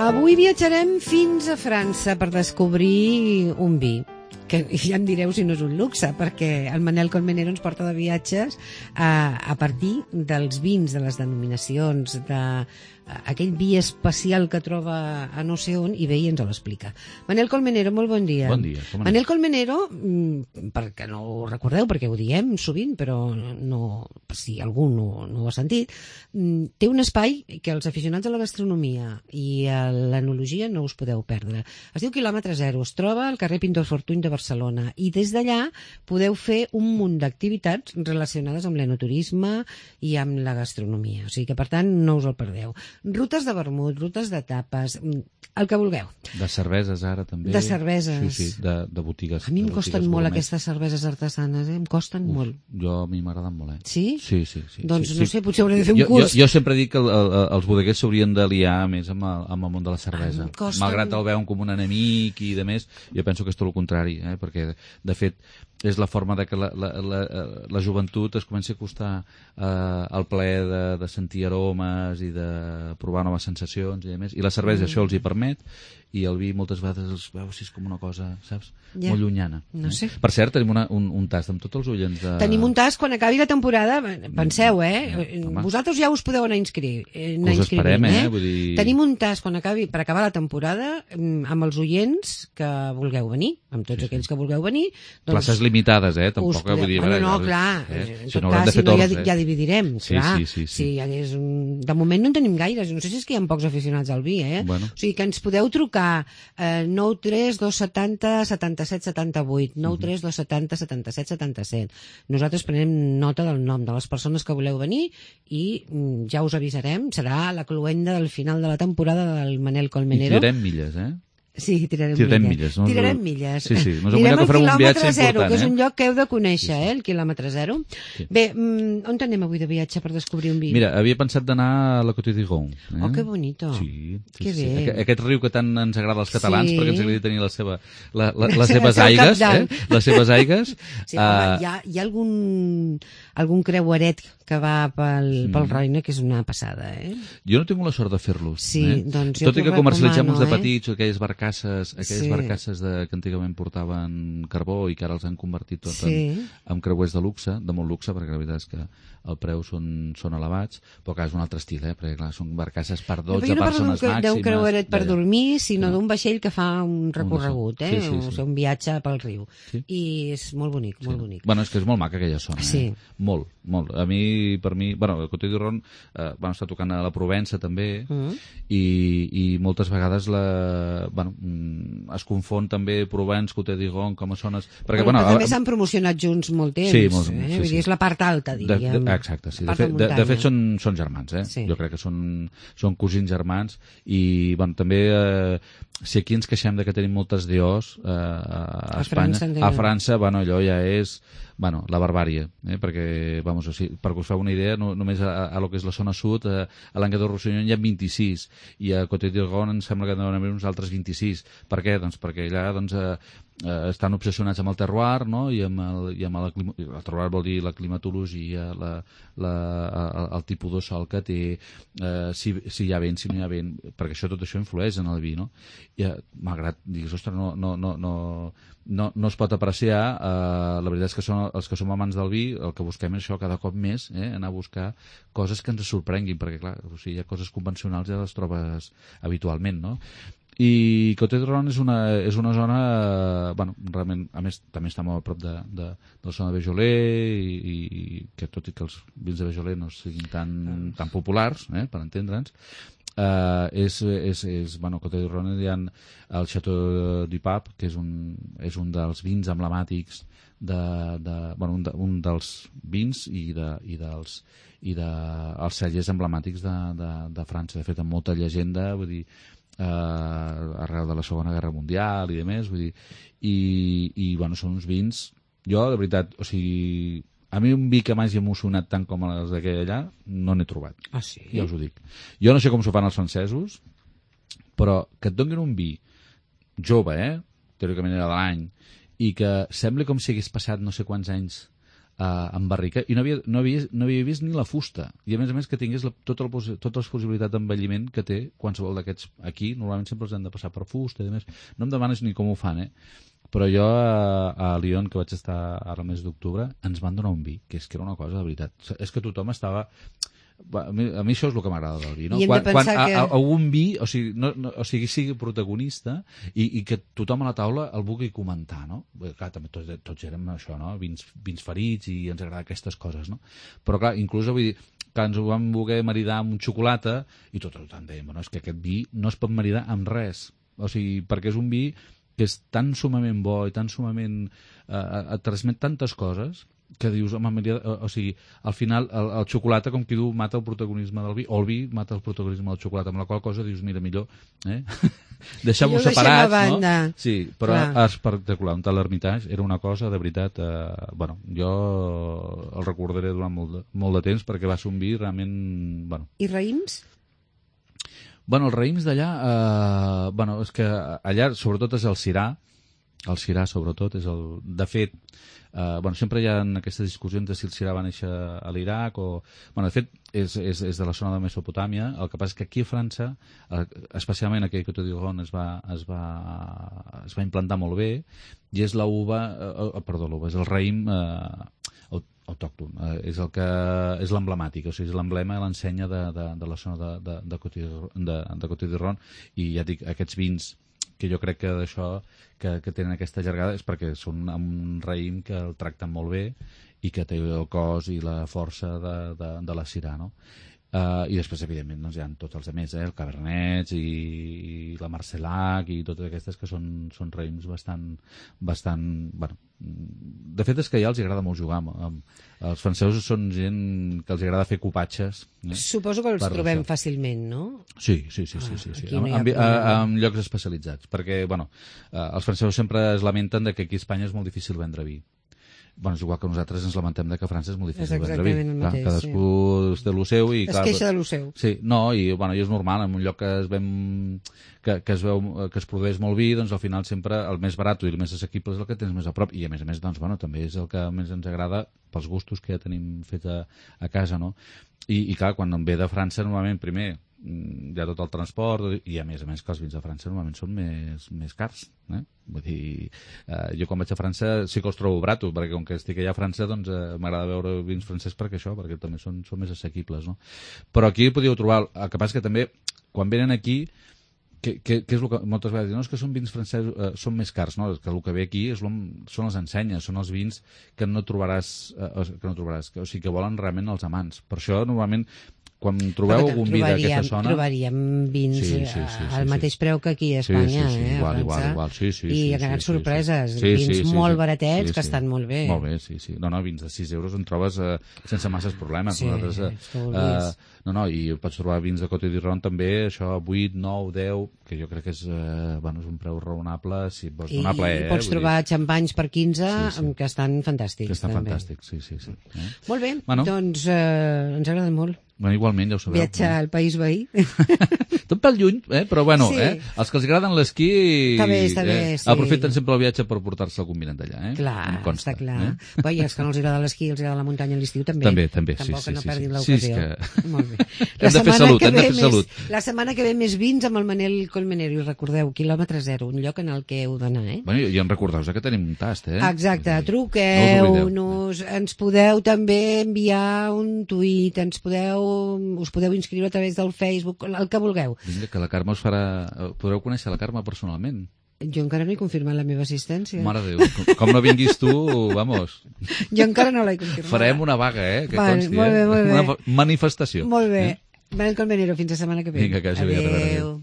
Avui viatjarem fins a França per descobrir un vi, que ja em direu si no és un luxe, perquè el Manel Colmenero ens porta de viatges a partir dels vins, de les denominacions, aquell vi especial que troba a no sé on, i ve i ens l'explica. Manel Colmenero, molt bon dia. Bon dia. Manel Colmenero, perquè no ho recordeu, perquè ho diem sovint, però no, si algú no ho ha sentit, té un espai que els aficionats a la gastronomia i a l'enologia no us podeu perdre. Es diu Quilòmetre Zero, es troba al carrer Pintor Fortuny de Barcelona, i des d'allà podeu fer un munt d'activitats relacionades amb l'enoturisme i amb la gastronomia. O sigui que, per tant, no us el perdeu. Rutes de vermut, rutes de tapes, el que vulgueu. De cerveses, ara, també. De cerveses. Sí, de botigues. A mi em costen molt aquestes cerveses artesanes, em costen molt. A mi m'agraden molt, Sí? Sí. Doncs no sé, potser hauré de fer un curs. Jo sempre dic que els bodeguers s'haurien de liar més amb el món de la cervesa. Malgrat el veuen com un enemic i de més, jo penso que és tot el contrari, perquè, de fet, és la forma de que la joventut es comenci a acostar al plaer de sentir aromes i de provar noves sensacions i més. I la cervesa això els hi permet, i el vi moltes vegades els veus si és com una cosa, saps? Molt llunyana. No sé. Per cert, tenim un tast amb tots els oients de... Tenim un tast quan acabi la temporada, penseu, vosaltres ja us podeu anar inscrivint. Us esperem, vull dir... Tenim un tast quan acabi, per acabar la temporada, amb els oients que vulgueu venir, amb tots aquells que vulgueu venir. Places limitades, tampoc vull dir... No, clar, en tot cas, si no ja dividirem, clar. Sí. De moment no en tenim gaires, no sé si és que hi ha pocs aficionats al vi, O sigui que ens podeu trucar 93 270 77 78, 93 270 77 77. Nosaltres prenem nota del nom de les persones que voleu venir i ja us avisarem, serà la cloenda del final de la temporada del Manel Colmenero. I tirarem milles, Sí, tirarem milles. Tirarem milles. Sí. Anirem al quilòmetre zero, que és un lloc que heu de conèixer, el quilòmetre zero. Bé, on anem avui de viatge per descobrir un vi? Mira, havia pensat d'anar a la Côte d'Iron. Oh, que bonito. Sí. Que bé. Aquest riu que tant ens agrada als catalans, perquè ens agrada tenir les seves aigues. Les seves aigues. Sí, home, hi ha algun creueret que va pel Roine, que és una passada, Jo no tinc la sort de fer-los. Sí, doncs jo tot i que comercialitzem uns de petits, aquelles barcasses que antigament portaven carbó i que ara els han convertit tot en creuers de luxe, de molt luxe, perquè la veritat és que el preu són elevats, però clar, és un altre estil, perquè clar, són barcasses per 12 persones màximes. D'un creueret per dormir, sinó d'un vaixell que fa un recorregut, o sigui, un viatge pel riu. I és molt bonic, molt bonic. Bueno, és que és molt maca aquella zona, molt. A mi, per mi, bueno, el Côte d'Iron vam estar tocant a la Provença també, i moltes vegades es confon també Provence, Côte d'Iron, com a zones... Perquè també s'han promocionat junts molt temps, vull dir, és la part alta, diríem. Exacte, sí. De fet són germans, Jo crec que són cosins germans, i també si aquí ens queixem de que tenim moltes DOs a Espanya, a França, allò ja és la barbàrie, perquè, perquè us feu una idea, només a lo que és la zona sud, a Languedoc-Roussillon hi ha 26, i a Côte d'Iron em sembla que deuen haver uns altres 26. Per què? Doncs perquè allà estan obsessionats amb el terroir, i amb el terroir vol dir la climatologia, el tipus de sol que té, si hi ha vent, si no hi ha vent, perquè tot això influeix en el vi, I malgrat diguis, ostres, no es pot apreciar, la veritat és que els que som amants del vi, el que busquem és això cada cop més, anar a buscar coses que ens sorprenguin, perquè clar, hi ha coses convencionals ja les trobes habitualment, I Côte d'Iron és una zona, realment, a més, també està molt a prop de la zona de Beaujolais, i que tot i que els vins de Beaujolais no siguin tan populars, per entendre'ns, Côte d'Iron hi ha el Château du Pape, que és un dels vins emblemàtics un dels vins i dels cellers emblemàtics de França. De fet, amb molta llegenda, vull dir, arreu de la Segona Guerra Mundial i demés, vull dir, i són uns vins, jo, de veritat, o sigui, a mi un vi que m'hagi emocionat tant com els d'aquella no n'he trobat. Ah, sí? Ja us ho dic. Jo no sé com s'ho fan els francesos, però que et donin un vi jove, teòricament era de l'any, i que sembli com si hagués passat no sé quants anys en barrica, i no havia vist ni la fusta, i a més que tingués totes les possibilitats d'envelliment que té qualsevol d'aquests. Aquí normalment sempre els han de passar per fusta, i a més no em demanes ni com ho fan, però jo a Lyon, que vaig estar ara el mes d'octubre, ens van donar un vi, que era una cosa de veritat, és que tothom estava... A mi això és el que m'agrada del vi, no? Quan algun vi, o sigui, sigui protagonista i que tothom a la taula el vulgui comentar, no? Clar, també tots érem això, no? Vins ferits, i ens agrada aquestes coses, no? Però clar, inclús vull dir que ens ho vam voler maridar amb xocolata i tot dèiem, bueno, és que aquest vi no es pot maridar amb res, o sigui, perquè és un vi que és tan sumament bo i tan sumament et transmet tantes coses que dius, home, o sigui, al final el xocolata, com qui diu, mata el protagonisme del vi, o el vi mata el protagonisme del xocolata, amb la qual cosa dius, mira, millor deixem-ho separats, no? Sí, però espectacular, un tal Hermitage era una cosa de veritat, bueno, jo el recordaré durant molt de temps, perquè va ser un vi realment, bueno. I raïms? Bueno, els raïms d'allà, bueno, és que allà sobretot és el Syrah, sobretot és el... De fet, bueno, sempre hi ha aquestes discussions de si el Syrah va néixer a l'Iraq o... Bueno, de fet, és de la zona de Mesopotàmia. El que passa és que aquí a França, especialment aquell Côte d'Iron es va implantar molt bé, i és l'uva... Perdó, l'uva, és el raïm autòcton, és l'emblemàtic, o sigui, és l'emblema i l'ensenya de la zona de Côte d'Iron, i ja dic, aquests vins que jo crec que d'això que tenen aquesta llargada és perquè són un raïm que el tracten molt bé i que té el cos i la força de la Syrah, no? I després, evidentment, doncs, hi ha tots els altres, el Cabernet i la Marsellac i totes aquestes que són raïms bastant... Bueno, de fet, és que ja els agrada molt jugar. Els francesos són gent que els agrada fer copatges. Suposo que els trobem fàcilment, no? Sí. En llocs especialitzats. Perquè, bueno, els francesos sempre es lamenten que aquí a Espanya és molt difícil vendre vi. Bueno, és igual que nosaltres ens lamentem que a França és molt difícil vendre vi. Mateix, cadascú té el seu i... Es queixa de lo seu. Sí, no, i és normal, en un lloc que es produeix molt vi, doncs al final sempre el més barat i el més assequible és el que tens més a prop, i a més, doncs, bueno, també és el que més ens agrada pels gustos que ja tenim fet a casa, no? I clar, quan em ve de França, normalment, primer, hi ha tot el transport, i a més que els vins de França normalment són més cars, Vull dir, jo quan vaig a França sí que els trobo baratos, perquè com que estic allà a França, doncs m'agrada veure vins francès perquè també són més assequibles, no? Però aquí podíeu trobar, el que passa que també, quan venen aquí, que és el que moltes vegades diuen, no, és que són vins francesos, són més cars, no? Que el que ve aquí són les ensenyes, són els vins que no trobaràs, o sigui, que volen realment els amants. Per això, normalment, quan trobeu algun vi d'aquesta zona... Trobaríem vins al mateix preu que aquí a Espanya, igual, sí. I grans sorpreses, vins molt baratets que estan molt bé. Molt bé, sí. No, vins de 6 euros en trobes sense masses problemes. I pots trobar vins de Côte d'Iron també, això, 8, 9, 10, que jo crec que és un preu raonable, si vols donar plaer. I pots trobar xampanys per 15 que estan fantàstics. Que estan fantàstics, sí. Molt bé, doncs ens agrada molt. Bueno, igualment, ja ho sabeu. Viatjar al país veí. Tot pel lluny, però bueno, els que els agraden l'esquí està bé, sí. Aprofiten sempre el viatge per portar-se algun vinet d'allà. Clar, està clar. Però i els que no els agrada l'esquí, els agrada la muntanya a l'estiu també. També, sí. Tampoc no perdin l'ocasió. Molt bé. Hem de fer salut. La setmana que ve més vins amb el Manel Colmenero, i recordeu, quilòmetre zero, un lloc en el que heu d'anar, Bueno, i en recordeu que tenim un tast, Exacte, truqueu-nos, ens podeu també enviar un tuit, us podeu inscriure a través del Facebook, el que vulgueu. Vinga, que la Carme us farà... Podreu conèixer la Carme personalment. Jo encara no he confirmat la meva assistència. Mare de Déu, com no vinguis tu, vamos. Jo encara no l'he confirmat. Farem una vaga, que consti, molt bé. Una manifestació. Molt bé. Manel Colmenero, fins la setmana que ve. Vinga, que vagi bé. Adéu.